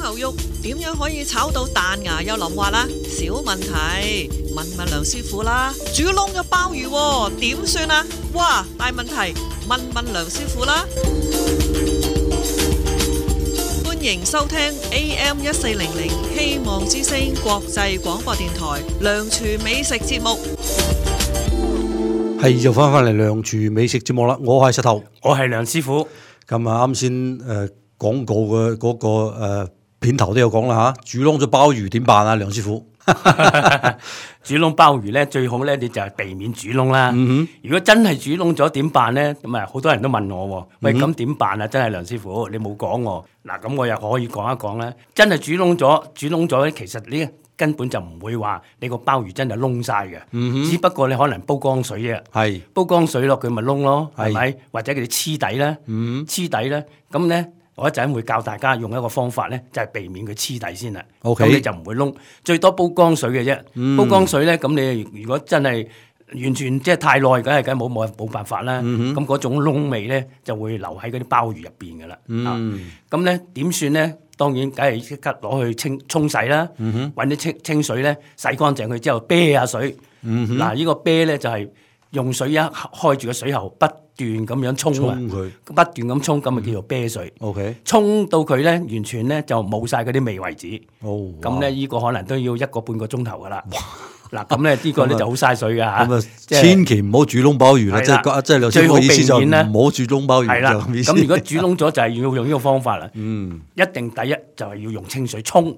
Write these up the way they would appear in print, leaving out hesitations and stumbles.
牛肉點樣可以炒到彈牙又腍滑啦？小問題，問問梁師傅啦。煮燶咗鮑魚喎，點算啊？哇，大問題，問問梁師傅啦。歡迎收聽 AM1400 希望之聲國際廣播電台梁廚美食節目。係又翻嚟梁廚美食節目啦，我係石頭，我係梁師傅。咁啊，啱先廣告嘅嗰個片頭都有講啦吓，煮燶咗鮑魚點辦啊？梁師傅，煮燶鮑魚咧最好咧，你就係避免煮燶啦。如果真係煮燶咗點辦咧？咁啊，好多人都問我，喂，咁點辦啊？真係梁師傅，你冇講喎。嗱，咁我又可以講一講啦。真係煮燶咗咧，其實呢根本就唔會話你個鮑魚真係燶晒嘅，只不過你可能煲江水啫。係煲江水落佢咪燶咯，係咪？或者佢哋黐底咧，黐底咧，咁咧。我一陣會教大家用一個方法咧，就係避免佢黐底先啦。咁你就唔會燶，最多煲江水嘅啫。煲江水咧，咁你如果真係完全即係太耐，梗係冇辦法啦。咁嗰種燶味咧就會留喺嗰啲鮑魚入邊噶啦。咁咧點算咧？當然梗係即刻攞去沖洗啦，揾啲清水咧洗乾淨佢之後，啤下水。嗱，呢個啤咧就係用水一開住個水喉不斷咁樣沖佢，不斷咁沖，咁咪叫做啤水。沖到佢咧完全咧就冇晒嗰啲味為止。咁咧呢個可能都要1個半個鐘頭噶啦。嗱，咁咧呢個咧就好嘥水噶嚇。咁啊，千祈唔好煮燶鮑魚啦，即係梁師傅意思就唔好煮燶鮑魚。係啦，咁如果煮燶咗就係要用呢個方法啦。一定第一就係要用清水沖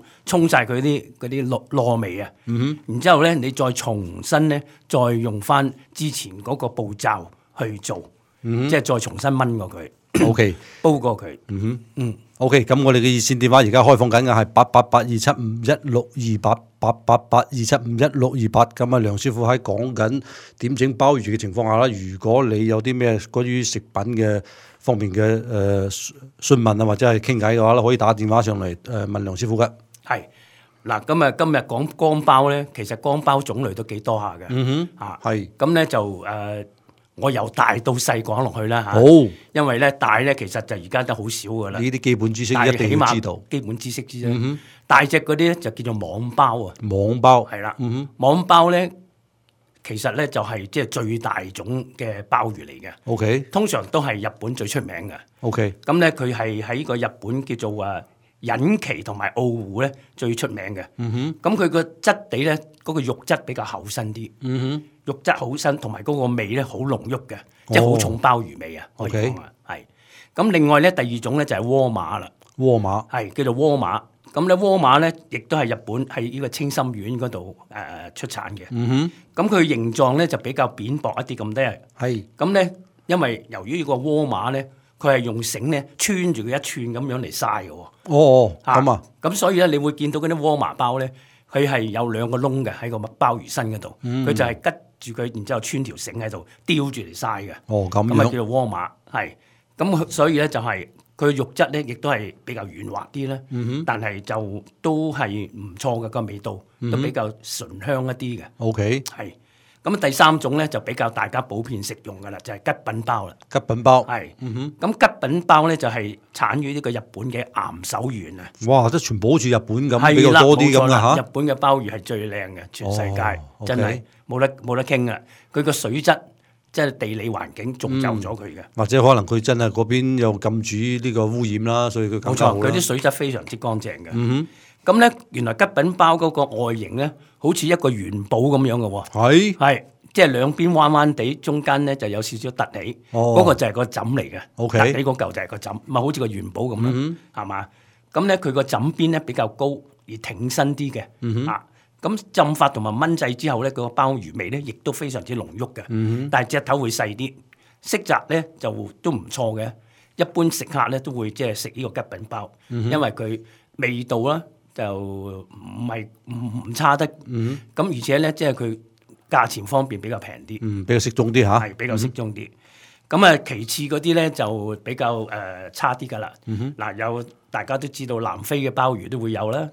晒佢啲糯味啊。然之後咧你再重新咧再用翻之前嗰個步驟去做。即係再重新燜過佢，OK，煲過佢。OK， 咁我哋嘅熱線電話而家開放緊嘅係88827516288，88827516228。咁啊，梁師傅喺講緊點整鮑魚嘅情況下啦，如果你有啲咩關於食品嘅方面嘅詢問啊，或者係傾偈嘅話咧，可以打電話上嚟問梁師傅嘅。係嗱，咁啊今日講乾鮑咧，其實乾鮑種類都幾多下嘅。係咁咧就我由大到細講落去啦嚇，因為咧大咧其實就而家都好少噶啦。呢啲基本知識一定要知道，基本知識之啫。大隻嗰啲咧就叫做網鮑啊。網鮑係啦，網鮑咧其實咧就係即係最大種嘅鮑魚嚟嘅。OK，通常都係日本最出名嘅。OK，咁咧佢係喺個日本叫做隱岐同埋澳湖咧最出名嘅。咁佢個質地咧嗰個肉質比較厚身啲。肉質好身，同埋嗰個味咧好濃郁嘅，即係好重鮑魚味啊！可以講啊，係。咁另外咧，第二種咧就係窩馬啦。窩馬係叫做窩馬。咁咧窩馬咧，亦都係日本喺呢個青森縣嗰度出產嘅。咁佢形狀咧就比較扁薄一啲咁多。係。咁咧，因為由於呢個窩馬咧，佢係用繩咧穿住佢一串咁樣嚟曬嘅。咁啊。咁所以咧，你會見到嗰啲窩麻鮑咧，佢係有2個窿嘅喺個鮑魚身嗰度。佢就係吉住佢，然之後穿條繩喺度吊住嚟曬嘅。咁啊叫做窩馬。係。咁所以咧就係佢肉質咧，亦都係比較軟滑啲啦。但係就都係唔錯嘅個味道，都比較醇香一啲嘅。係。咁第三種咧就比較大家普遍食用嘅啦，就係吉品鮑啦。吉品鮑係。咁吉品鮑咧就係產於呢個日本嘅岩手縣啊。哇！即係全部好似日本咁，比較多啲咁啦嚇。日本嘅鮑魚係最靚嘅，全世界真係冇得傾啊！佢個水質即係地理環境造就咗佢嘅。或者可能佢真係嗰邊又禁止呢個污染啦，所以佢冇錯，佢啲水質非常之乾淨嘅。咁咧，原來吉品鮑嗰個外形咧，好似一個元寶咁樣嘅喎。係，即係兩邊彎彎地，中間咧就有少少凸起。嗰個就係個枕嚟嘅。凸起嗰嚿就係個枕，咪好似個元寶咁啦，係嘛？咁咧佢個枕邊咧比較高而挺身啲嘅。咁浸發同埋燜製之後咧，個鮑魚味咧亦都非常之濃郁嘅。但係隻頭會細啲，色澤咧就都唔錯嘅。一般食客咧都會即係食呢個吉品鮑，因為佢味道啦。就唔差得，咁而且咧，即係佢價錢方面比較平啲，比較適中啲嚇，係比較適中啲。咁啊，其次嗰啲咧就比較差啲噶啦。嗱，有大家都知道南非嘅鮑魚都會有啦。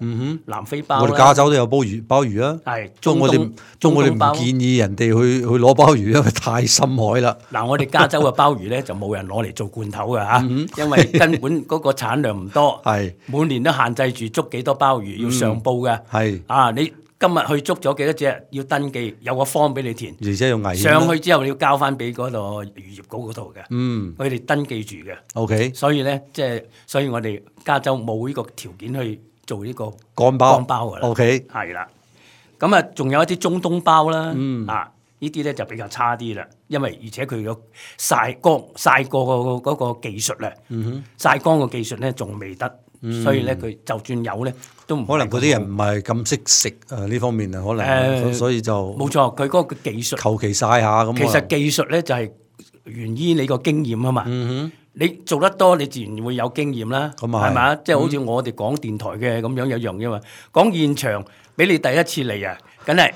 南非鮑，我哋加州都有鮑魚啊。係，我哋唔建議人哋去攞鮑魚，因為太深海啦。嗱，我哋加州嘅鮑魚咧就冇人攞嚟做罐頭嘅嚇，因為根本嗰個產量唔多。係，每年都限制住捉幾多鮑魚要上報嘅。係，啊你。今日去捉咗幾多隻要登記，有個 form 俾你填，而且用危險。上去之後你要交翻俾嗰度漁業局嗰度嘅，佢哋登記住嘅。OK，所以咧所以我哋加州冇呢個條件去做呢個乾鮑㗎啦。OK，係啦。咁啊，仲有一啲中東鮑啦，呢啲咧就比較差啲啦，因為而且佢個曬過嗰個技術咧，曬乾個技術咧仲未得。所以咧，佢就算有咧，都唔可能嗰啲人唔係咁識食呢方面啊，可能所以就冇錯，佢嗰個技術求其曬下咁。其實技術咧就係源於你個經驗啊嘛。你做得多，你自然會有經驗啦，係咪？即係好似我哋講電台嘅咁樣一樣啫嘛。講現場俾你第一次嚟啊，梗係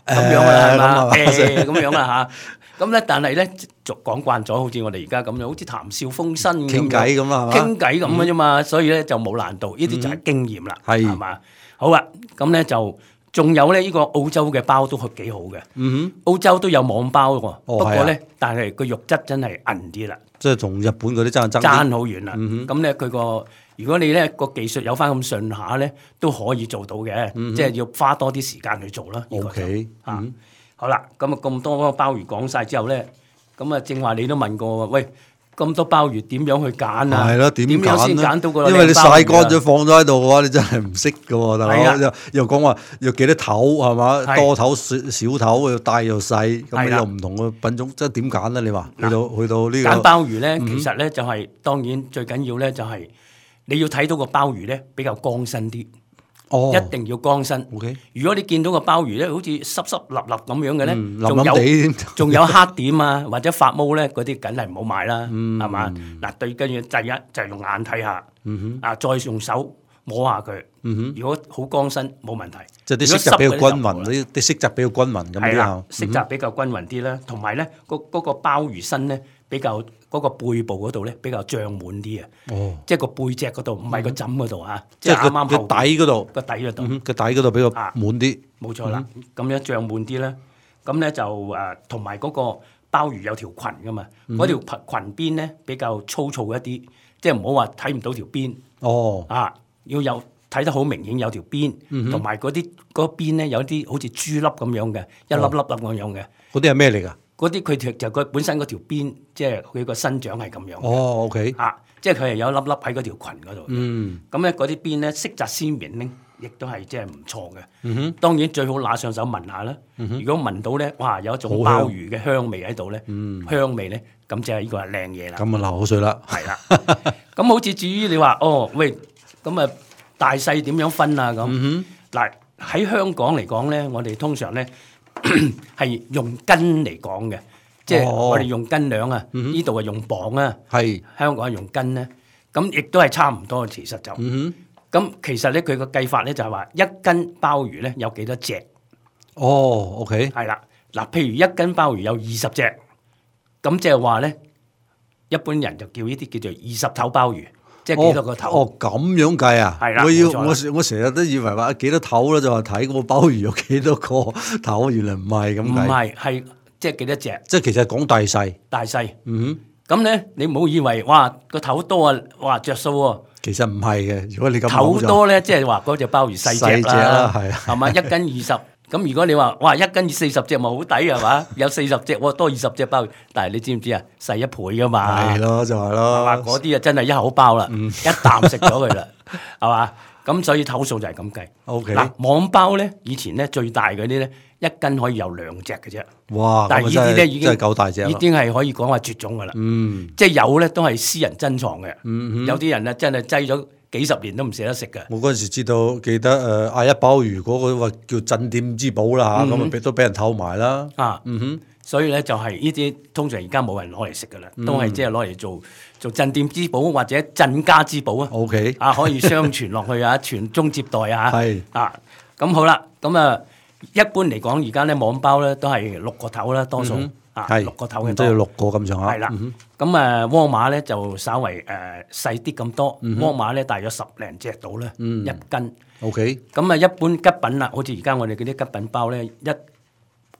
咁樣啦，係嘛？咁樣啦嚇。咁咧，但係咧，就講慣咗，好似我哋而家咁樣，好似談笑風生傾偈咁啦，傾偈咁嘅啫嘛，所以咧就冇難度，呢啲就係經驗啦，係嘛？好啊，咁咧就仲有咧，呢個澳洲嘅鮑都幾好嘅，澳洲都有網鮑喎，不過咧，但係個肉質真係韌啲啦，即係同日本嗰啲爭好遠啦。咁咧佢個如果你咧個技術有翻咁順下咧，都可以做到嘅，即係要花多啲時間去做啦。OK，好啦，咁啊咁多鮑魚講晒之後咧，咁啊正話你都問過，喂，咁多鮑魚點樣去揀啊？係咯，點樣先揀到個靚鮑魚？因為你曬乾咗放咗喺度嘅話，你真係唔識嘅喎，大佬又講話要幾多頭係嘛？多頭少頭又大又細，咁又唔同嘅品種，即係點揀咧？你話去到呢個揀鮑魚咧，其實咧就係當然最緊要咧就係你要睇到個鮑魚咧比較光身啲。一定要光身。如果你見到個鮑魚咧，好似濕濕立立咁樣嘅咧，仲有黑點啊，或者發毛咧，嗰啲梗係唔好買啦，係嘛？嗱，最緊要第一就係用眼睇下，再用手摸下佢。如果好光身冇問題，即係啲色澤比較均勻，啲色澤比較均勻咁啲啊。色澤比較均勻啲啦，同埋咧嗰個鮑魚身咧比較嗰個背部嗰度咧比較脹滿啲啊。即係個背脊嗰度，唔係個枕嗰度嚇。即係啱啱個底嗰度，個底嗰度，個底嗰度比較滿啲。冇錯啦，咁樣脹滿啲咧，咁咧就同埋嗰個鮑魚有條裙噶嘛，嗰條裙邊咧比較粗糙一啲，即係唔好話睇唔到條邊。要有睇得好明顯有條邊，同埋嗰邊咧有啲好似珠粒咁樣嘅，一粒粒咁樣嘅。嗰啲係咩嚟㗎？嗰啲佢就佢本身嗰條邊，即係佢個生長係咁樣。OK。即係佢係有一粒粒喺嗰條裙嗰度。咁咧嗰啲邊咧色澤鮮明咧，亦都係即係唔錯嘅。當然最好拿上手聞下啦。如果聞到咧，哇有一種鮑魚嘅香味喺度咧，香味咧，咁即係呢個係靚嘢啦。咁啊流口水啦。係啦。咁好似至於你話喂，咁啊大細點樣分啊咁？嗱喺香港嚟講咧，我哋通常咧係用斤嚟講嘅。即係我哋用斤兩啊，呢度係用磅啊，香港係用斤咧，咁亦都係差唔多。其實就咁，其實咧佢個計法咧就係話一斤鮑魚咧有幾多隻？OK，係啦。嗱，譬如一斤鮑魚有20隻，咁即係話咧，一般人就叫呢啲叫做20頭鮑魚，即係幾多個頭？咁樣計啊？係啦，我成日都以為話幾多頭咧，就話睇嗰個鮑魚有幾多個頭，原來唔係咁計。唔係，係。即係幾多隻？即係其實講大細。大細。咁咧，你唔好以為哇個頭多啊，哇着數喎。其實唔係嘅，如果你咁頭多咧，即係話嗰隻鮑魚細隻啦，係嘛？1斤20。咁如果你話哇1斤40隻咪好抵係嘛？有40隻，多20隻鮑魚。但係你知唔知啊？細1倍噶嘛。係咯，就係咯。嗰啲啊真係一口包啦，一啖食咗佢啦，係嘛？咁所以頭數就係咁計。OK。嗱，網鮑咧，以前咧最大嗰啲咧。一斤可以有2隻嘅啫，哇！但係呢啲咧已經夠大隻，已經係可以講話絕種噶啦。即係有咧都係私人珍藏嘅。有啲人咧真係擠咗幾十年都唔捨得食嘅。我嗰陣時記得嗌一鮑魚嗰個話叫鎮店之寶啦嚇，咁都俾人偷埋啦。所以咧就係呢啲通常而家冇人攞嚟食噶啦，都係即係攞嚟做鎮店之寶或者鎮家之寶啊。OK，可以相傳落去啊，傳宗接代啊。係咁好啦，咁啊。一般嚟講，而家咧網鮑咧都係6個頭啦，多數6個頭嘅多，即係6個咁上下。係啦，咁窩馬咧就稍為細啲咁多，窩馬咧大約10零隻到啦，一斤。OK。咁啊，一般吉品啦，好似而家我哋嗰啲吉品包咧，一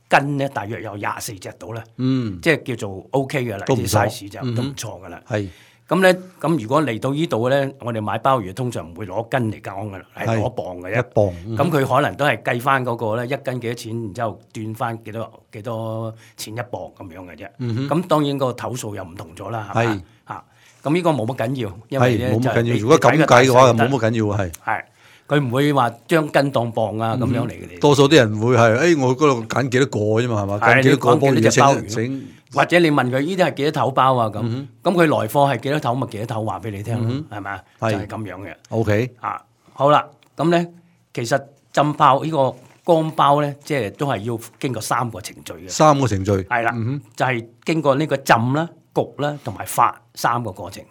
斤咧大約有24隻到啦，即係叫做 OK 嘅啦，啲 size 就都唔錯噶啦。係。咁咧，咁如果嚟到呢度咧，我哋買鮑魚通常唔會攞斤嚟講噶啦，係攞磅嘅啫。1磅。咁佢可能都係計翻嗰個咧，一斤幾多錢，然之後斷翻幾多錢1磅咁樣嘅啫。咁當然個頭數又唔同咗啦，係嘛？嚇，咁呢個冇乜緊要，因為咧就係如果咁計嘅話，冇乜緊要係。佢唔會話將斤當磅啊咁樣嚟嘅。多數啲人會係，我嗰度揀幾多個啫嘛，係嘛？揀幾多個鮑魚整。或者你問佢呢啲係幾多頭包啊咁，咁佢來貨係幾多頭咪幾多頭話俾你聽咯，係咪？就係咁樣嘅。OK。好啦，咁咧其實浸包呢個乾包咧，即係都係要經過3個程序嘅。3個程序。係啦，就係經過呢個浸啦、焗啦同埋發3個過程。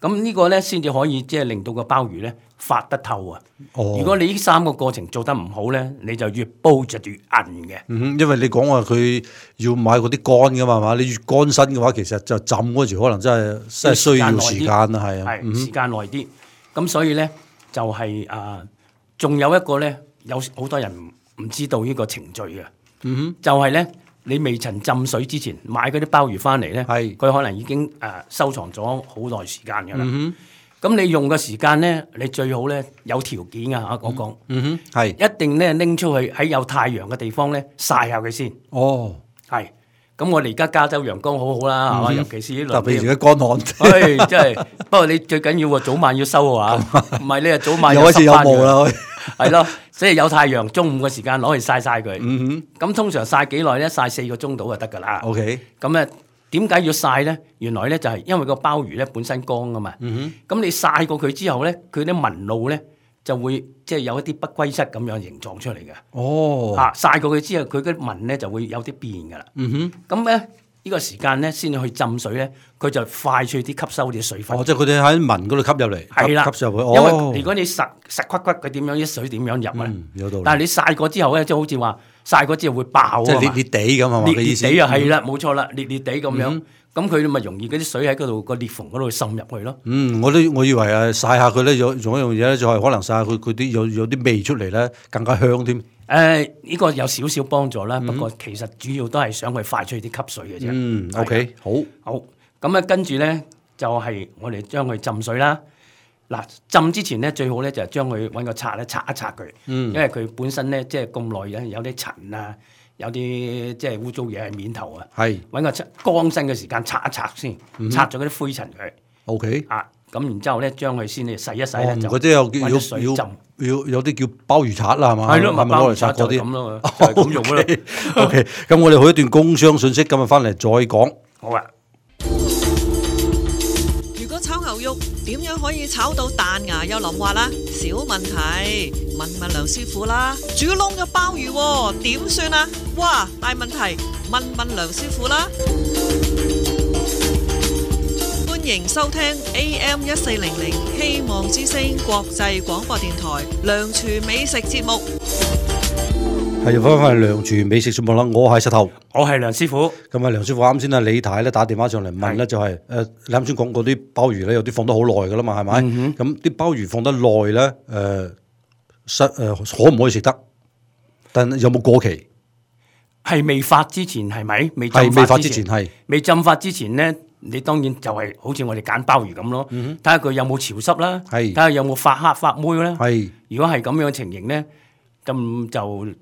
咁呢個咧先至可以即係令到個鮑魚咧發得透啊！如果你呢3個過程做得唔好咧，你就越煲就越韌嘅。因為你講話佢要買嗰啲乾噶嘛，係嘛？你越乾身嘅話，其實就浸嗰時可能真係需要時間啊，係啊，時間耐啲。咁所以咧就係仲有一個咧，有好多人唔知道呢個程序嘅。就係咧。你未曾浸水之前買嗰啲鮑魚翻嚟咧，佢可能已經收藏咗好耐時間㗎啦。咁你用嘅時間咧，你最好咧有條件㗎嚇，我講，係一定咧拎出去喺有太陽嘅地方咧曬下佢先。係。咁我哋而家加州陽光好好啦，係嘛？尤其是呢兩邊。特別而家乾旱。真係。不過你最緊要喎，早晚要收啊，唔係你啊早晚又開始有霧啦。係咯，所以有太陽，中午嘅時間攞去曬佢。咁通常曬幾耐咧？曬4個鐘到就得㗎啦。OK。咁咧點解要曬咧？原來咧就係因為個鮑魚咧本身乾㗎嘛。咁你曬過佢之後咧，佢啲紋路咧就會即係有一啲不歸室咁樣形狀出嚟嘅。曬過佢之後，佢啲紋咧就會有啲變㗎啦。咁咧呢個時間咧先去浸水咧，佢就快脆啲吸收啲水分。即係佢哋喺紋嗰度吸入嚟，係啦，吸入去。因為如果你實骨骨，佢點樣啲水點樣入啊？有道理。但係你曬過之後咧，即係好似話曬過之後會爆啊嘛。即係裂裂地咁係嘛？裂裂地啊，係啦，冇錯啦，裂裂地咁樣。咁佢咪容易嗰啲水喺嗰度個裂縫嗰度滲入去咯。我以為曬下佢咧，仲有一樣嘢咧，就係可能曬下佢啲有啲味出嚟咧，更加香添。呢個有少少幫助啦，不過其實主要都係想佢快脆啲吸水嘅啫。OK，好。咁啊，跟住咧就係我哋將佢浸水啦。嗱，浸之前咧最好咧就係將佢揾個刷咧刷一刷佢，因為佢本身咧即係咁耐咧有啲塵啊，有啲即係污糟嘢喺面頭啊。係揾個乾身嘅時間刷一刷先，刷咗嗰啲灰塵佢。OK。咁然之後咧將佢先洗一洗咧就嗰啲揾啲水浸。有啲叫鮑魚刷啦，係嘛？係咯，係咪攞嚟刷嗰啲？咁咯，就係咁用咯。OK，咁我哋去一段工商信息，今日翻嚟再講。好啊。如果炒牛肉點樣可以炒到彈牙又腍滑啦？小問題，問梁師傅啦。煮燶嘅鮑魚點算啊？哇，大問題，問梁師傅啦。歡迎收聽 AM 1400希望之聲國際廣播電台梁廚美食節目。係又翻嚟梁廚美食節目啦，我係石頭，我係梁師傅。咁啊，梁師傅啱先啊，李太咧打電話上嚟問咧，就係你啱先講嗰啲鮑魚咧，有啲放得好耐噶啦嘛，係咪？咁啲鮑魚放得耐咧，可唔可以食得？但有冇過期？係未發之前係咪？未發之前係未浸發之前咧。你當然就係好似我哋揀鮑魚咁咯，睇下佢有冇潮濕啦，睇下有冇發黑發霉啦。如果係咁樣嘅情形咧，咁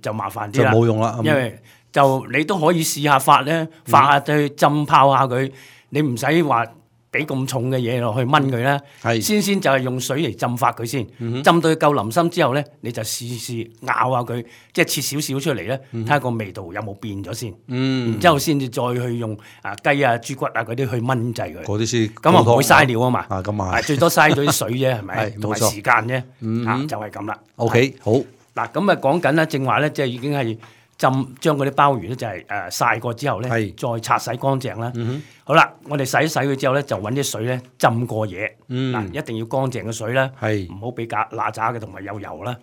就麻煩啲啦，就冇用啦。因為就你都可以試下發咧，發下去浸泡下佢，你唔使話俾咁重嘅嘢落去炆佢啦。先就係用水嚟浸發佢先，浸到佢夠腍身之後咧，你就試咬下佢，即係切少少出嚟咧，睇下個味道有冇變咗先。然之後先至再去用雞啊、豬骨啊嗰啲去炆製佢。嗰啲先咁啊唔會嘥料啊嘛。咁啊，最多嘥咗啲水啫，係咪？係同埋時間啫。就係咁啦。OK，好。嗱咁啊講緊啦，正話咧，即係已經係將嗰啲鮑魚咧就係曬過之後咧，再擦洗乾淨啦。好啦，我哋洗一洗佢之後咧，就揾啲水咧浸過嘢。嗱，一定要乾淨嘅水啦，唔好俾乸渣嘅同埋有油啦。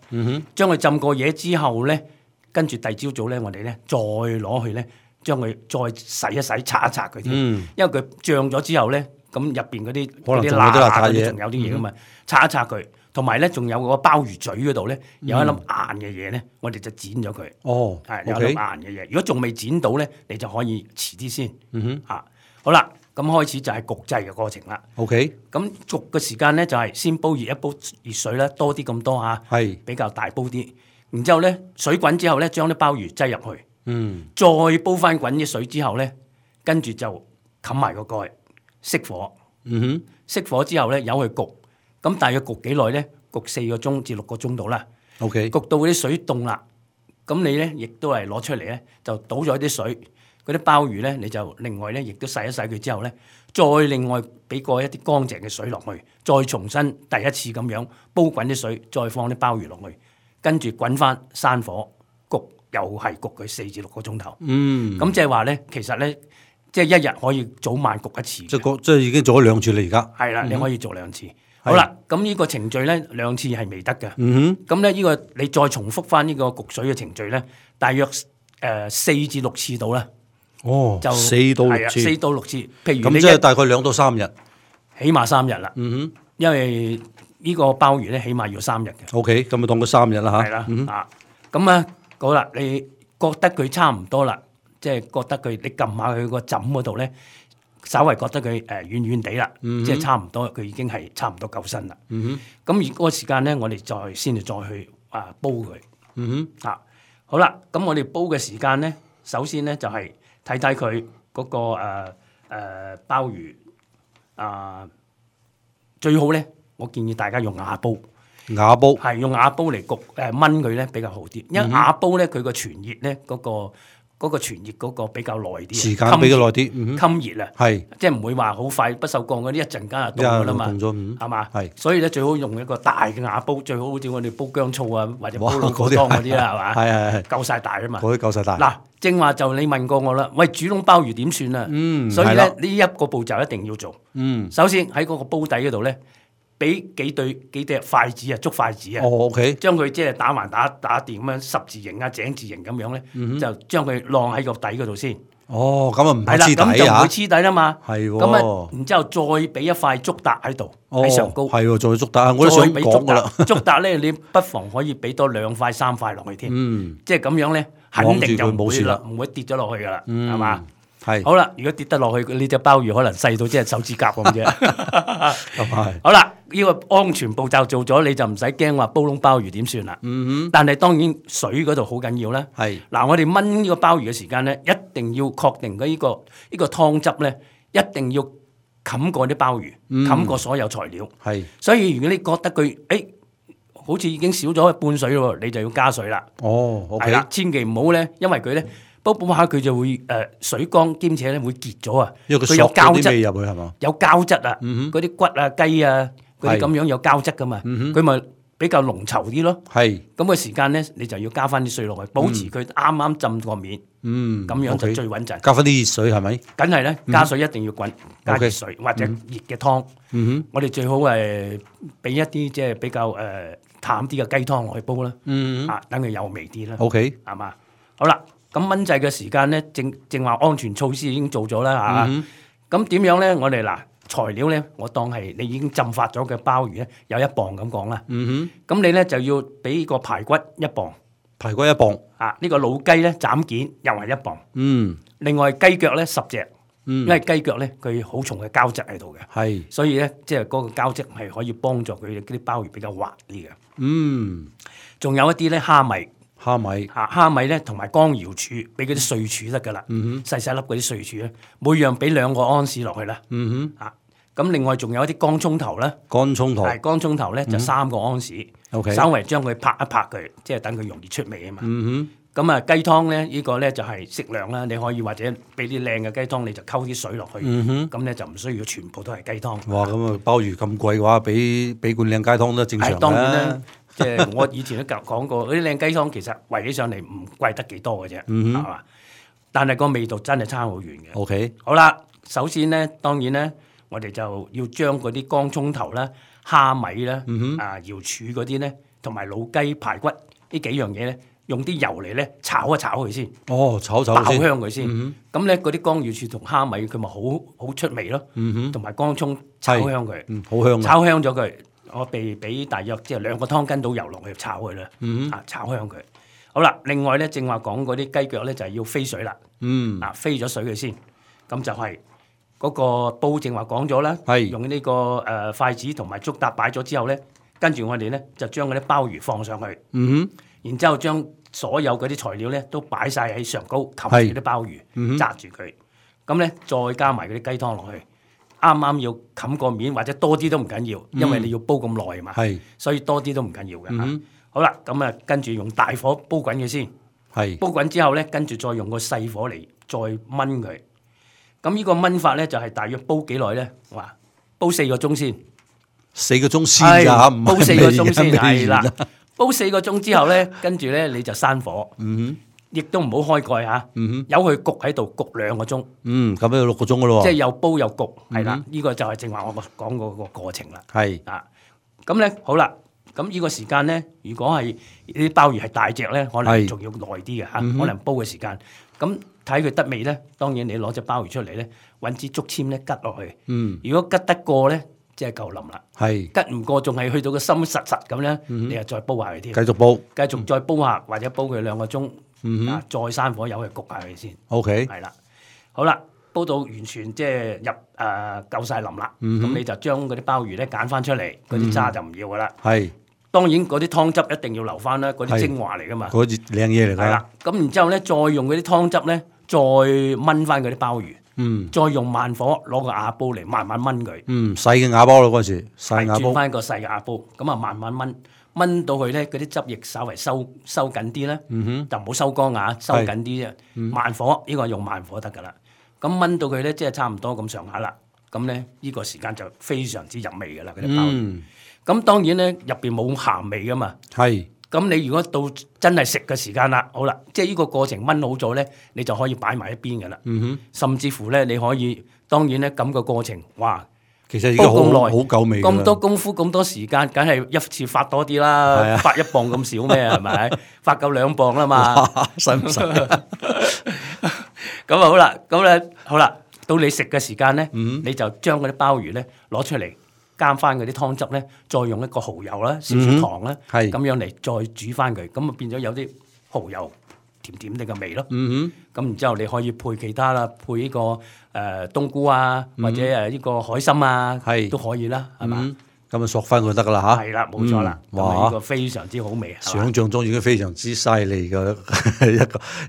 將佢浸過嘢之後咧，跟住第二朝早咧，我哋咧再攞去咧將佢再洗一洗、擦一擦佢添，因為佢漲咗之後咧，咁入邊嗰啲可能蠟仲有啲嗰啲嘢仲有啲嘢噶嘛，擦一擦佢，同埋咧仲有個鮑魚嘴嗰度咧有一粒硬嘅嘢咧，我哋就剪咗佢。哦，係有一粒硬嘅嘢，如果仲未剪到咧，你就可以遲啲先。好啦，咁開始就係焗製嘅過程啦。OK，咁焗嘅時間咧就係先煲熱一煲熱水啦，多啲咁多嚇，係比較大煲啲。然之後咧水滾之後咧，將啲鮑魚擠入去，再煲翻滾啲水之後咧，跟住就冚埋個蓋，熄火。熄火之後咧，由佢焗。咁大約焗幾耐咧？焗4個鐘至6個鐘度啦。OK，焗到嗰啲水凍啦，咁你咧亦都係攞出嚟咧，就倒咗啲水。嗰啲鮑魚咧，你就另外咧，亦都洗一洗佢之後咧，再另外俾過一啲乾淨嘅水落去，再重新第一次咁樣煲滾啲水，再放啲鮑魚落去，跟住滾翻閂火焗，又係焗佢4至6個鐘頭。咁即係話咧，其實咧，即係一日可以早晚焗一次。即係已經做咗2次啦，而家。係啦，你可以做2次。好啦，咁呢個程序咧2次係未得嘅。咁咧呢個你再重複翻呢個焗水嘅程序咧，大約4至6次到啦。哦，就4到6次，4到6次。譬如咁即係大概2到3日，起碼3日啦。因為呢個鮑魚咧起碼要3日嘅。OK，咁咪當佢3日啦嚇。係啦，咁啊好啦，你覺得佢差唔多啦，即係覺得佢你撳下佢個枕嗰度咧，稍為覺得佢軟軟地啦，即係差唔多，佢已經係差唔多夠身啦。咁而嗰個時間咧，我哋再去煲佢。好啦，咁我哋煲嘅時間咧，首先咧就係睇睇佢嗰個鮑魚最好咧，我建議大家用瓦煲。瓦煲係用瓦煲嚟焗燜佢咧比較好啲，因為瓦煲咧佢個傳熱咧嗰個傳熱嗰個比較耐啲，時間比較耐啲，襟熱啊，係即係唔會話好快不鏽鋼嗰啲一陣間就凍㗎啦嘛，係嘛？係，所以咧最好用一個大嘅瓦煲，最好好似我哋煲薑醋啊或者煲老火湯嗰啲啦，係嘛？係夠晒大啊嘛！嗰啲夠晒大。嗱，正話就你問過我啦，喂，煮籠鮑魚點算啊？所以咧呢一個步驟一定要做。首先喺嗰個煲底嗰度咧，俾幾對筷子啊，竹筷子啊，將佢即係打橫打掂咁樣十字形啊、井字形咁樣咧，就將佢晾喺個底嗰度先。哦，咁啊唔會黐底啊，咁就唔會黐底啦嘛。係喎。咁啊，然之後再俾一塊竹笪喺度喺上高。係喎，再竹笪，我都想講㗎啦。竹笪咧，你不妨可以俾多2塊3塊落去添。即係咁樣咧，肯定就冇事啦，唔會跌咗落去㗎啦，係嘛？係。好啦，如果跌得落去，呢隻鮑魚可能細到即係手指甲咁啫。咁係。好啦，呢個安全步驟做咗，你就唔使驚話煲窿鮑魚點算啦。但係當然水嗰度好緊要啦。係。嗱，我哋燜呢個鮑魚嘅時間咧，一定要確定呢個湯汁咧，一定要冚過啲鮑魚，冚過所有材料。係。所以如果你覺得佢好似已經少咗半水咯，你就要加水啦。哦，OK。係啦，千祈唔好咧，因為佢咧。煲下佢就會水乾兼且咧會結咗啊！因為佢有膠質入去係嘛？有膠質啊！嗰啲骨啊、雞啊嗰啲咁樣有膠質噶嘛？佢咪比較濃稠啲咯。係咁個時間咧，你就要加翻啲水落去，保持佢啱啱浸過面。咁樣就最穩陣。加翻啲熱水係咪？梗係咧，加水一定要滾，加熱水或者熱嘅湯。我哋最好俾一啲即係比較淡啲嘅雞湯落去煲啦。等佢有味啲啦。OK， 係嘛？好啦。咁燜製嘅時間咧，正話安全措施已經做咗啦嚇。咁點樣咧？我哋嗱材料咧，我當係你已經浸發咗嘅鮑魚咧，有1磅咁講啦。咁你咧就要俾個排骨1磅，排骨1磅。呢個老雞咧斬件又係1磅。另外雞腳咧10隻，因為雞腳咧佢好重嘅膠質喺度嘅。係，所以咧即係嗰個膠質係可以幫助佢啲鮑魚比較滑啲嘅。仲有一啲咧蝦米。蝦米咧同埋乾瑤柱，俾嗰啲碎柱得噶啦，細細粒嗰啲碎柱咧，每樣俾2個安士落去啦。咁另外仲有一啲乾葱頭啦，乾葱頭咧就3個安士，稍微將佢拍一拍佢，即係等佢容易出味啊嘛。咁啊雞湯咧呢個咧就係適量啦，你可以或者俾啲靚嘅雞湯，你就溝啲水落去，咁咧就唔需要全部都係雞湯。哇！咁啊鮑魚咁貴嘅話，俾罐靚雞湯都正常啦。當然啦。即係我以前都講過，嗰啲靚雞湯其實圍起上嚟唔貴得幾多嘅啫，係嘛？但係個味道真係差好遠嘅。OK，好啦，首先咧，當然咧，我哋就要將嗰啲乾葱頭啦、蝦米啦、瑤柱嗰啲咧，同埋老雞排骨呢幾樣嘢咧，用啲油嚟咧炒一炒佢先，炒爆香佢先。咁咧嗰啲江瑤柱同蝦米佢咪好出味咯，同埋乾葱炒香佢，好香。炒香咗佢，我俾大約即係2個湯羹到油落去炒佢啦，炒香佢。好啦，另外咧正話講嗰啲雞腳咧就係要飛水啦，飛咗水佢先，咁就係嗰個煲正話講咗啦，用呢個筷子同埋竹搭擺咗之後咧，跟住我哋咧就將嗰啲鮑魚放上去，然之後將所有嗰啲材料咧都擺晒喺上高，冚住啲鮑魚，紮住佢，咁咧再加埋嗰啲雞湯落去，啱啱要冚個面或者多啲都唔緊要，因為你要煲咁耐嘛，所以多啲都唔緊要嘅。好啦，咁啊跟住用大火煲滾佢先，煲滾之後咧，跟住再用個細火嚟再燜佢。咁呢個燜法咧就係大約煲幾耐咧？哇，煲4個鐘先，4個鐘先㗎，煲4個鐘先係啦。煲4個鐘之後咧，跟住咧你就閂火，亦都唔好開蓋嚇，由佢焗喺度焗2個鐘。咁樣6個鐘㗎咯喎。即係又煲又焗，係啦，呢個就係正話我講嗰個過程啦。咁咧好啦。咁呢個時間咧，如果係啲鮑魚係大隻咧，可能仲要耐啲嘅嚇，可能煲嘅時間。咁睇佢得味咧，當然你攞隻鮑魚出嚟咧，揾支竹籤咧拮落去。如果拮得過咧，即係夠腍啦。拮唔過，仲係去到個心實實咁咧，你又再煲下佢添。繼續煲，繼續再煲下，或者煲佢2個鐘，再閂火由佢焗下佢先。OK，係啦，好啦，煲到完全即係夠晒腍啦，咁你就將嗰啲鮑魚咧揀翻出嚟，嗰啲渣就唔要噶啦。當然嗰啲湯汁一定要留翻啦，嗰啲精華嚟噶嘛，嗰啲靚嘢嚟㗎。係啦，咁然之後咧，再用嗰啲湯汁咧，再燜翻嗰啲鮑魚，再用慢火攞個瓦煲嚟慢慢燜佢。細嘅瓦煲咯嗰陣時，細瓦煲。轉翻個細嘅瓦煲，咁啊慢慢燜到佢咧，嗰啲汁液稍為收緊啲咧，就唔好收乾啊，收緊啲啫。慢火呢個用慢火得㗎啦。咁燜到佢咧，即係差唔多咁上下啦。咁咧呢個時間就非常之入味㗎啦，嗰啲鮑魚。咁當然咧，入邊冇鹹味噶嘛。咁你如果到真係食嘅時間啦，好啦，即係呢個過程燜好咗咧，你就可以擺埋一邊噶啦。甚至乎咧，你可以當然咧咁個過程，哇，其實已經好夠味。咁多功夫咁多時間，梗係一次發多啲啦。發1磅咁少咩？係咪？發夠2磅啦嘛。使唔使？咁啊好啦，咁咧好啦，到你食嘅時間咧，你就將嗰啲鮑魚咧攞出嚟。加翻嗰啲湯汁咧，再用一個蠔油啦、少少糖啦，咁樣嚟再煮翻佢，咁啊變咗有啲蠔油甜甜哋嘅味咯。咁然之後你可以配其他啦，配呢個冬菇啊，或者呢個海參啊，都可以啦，係嘛？咁啊索翻佢得㗎啦嚇。係啦，冇錯啦。哇！呢個非常之好味。想像中已經非常之犀利嘅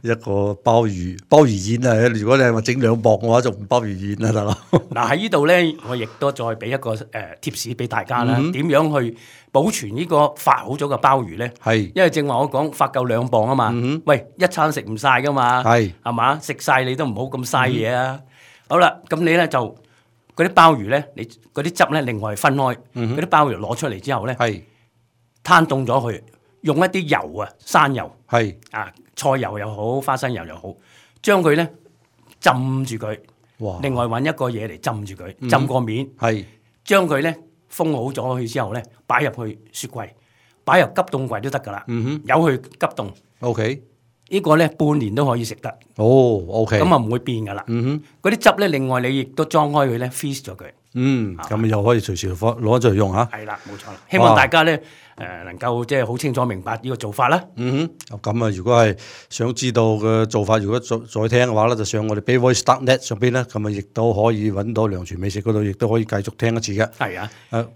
一個鮑魚宴啊！如果你係話整2磅嘅話，就唔鮑魚宴啦，大佬。嗱喺呢度咧，我亦都再俾一個貼士俾大家啦。點樣去保存呢個發好咗嘅鮑魚咧？因為正話我講發夠2磅啊嘛。喂，一餐食唔晒㗎嘛。係嘛？食晒你都唔好咁嘥嘢啊。好啦，咁你咧就。嗰啲鮑魚咧，你嗰啲汁咧，另外分開。嗰啲鮑魚攞出嚟之後咧，攤凍咗佢，用一啲油啊，生油，菜油又好，花生油又好，將佢咧浸住佢。另外揾一個嘢嚟浸住佢，浸個面。將佢咧封好咗佢之後咧，擺入去雪櫃，擺入急凍櫃都得㗎啦。由佢急凍。OK。呢個咧半年都可以食得。OK。咁啊唔會變噶啦。嗰啲汁咧，另外你亦都裝開佢咧 freeze 咗佢。咁又可以隨時攞出嚟用嚇。係啦，冇錯啦。希望大家咧能夠即係好清楚明白呢個做法啦。咁啊，如果係想知道嘅做法，如果再聽嘅話咧，就上我哋 BayVoice.net 上邊咧，咁啊亦都可以揾到梁廚美食嗰度，亦都可以繼續聽一次嘅。係啊。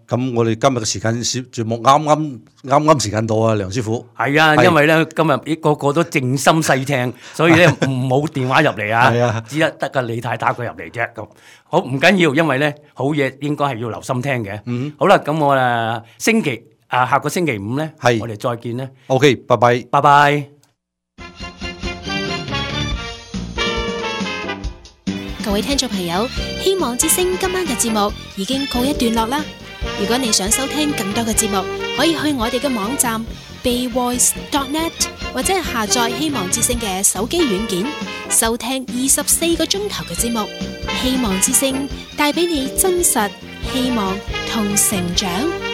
咁我哋今日嘅時間節目啱時間到啊，梁師傅。係啊，因為咧今日個個都靜心細聽，所以咧唔好電話入嚟啊。係啊。只得個李太打佢入嚟啫。咁好唔緊要，因為咧好嘢應該係要留心聽嘅。好啦，咁我下個星期5咧，我哋再見咧。OK， 拜拜。拜拜。各位聽眾朋友，希望之聲今晚嘅節目已經告一段落啦。如果你想收聽更多嘅節目，可以去我哋嘅網站 BayVoice.net 或者係下載希望之聲嘅手機軟件，收聽24個鐘頭嘅節目。希望之聲帶俾你真實、希望同成長。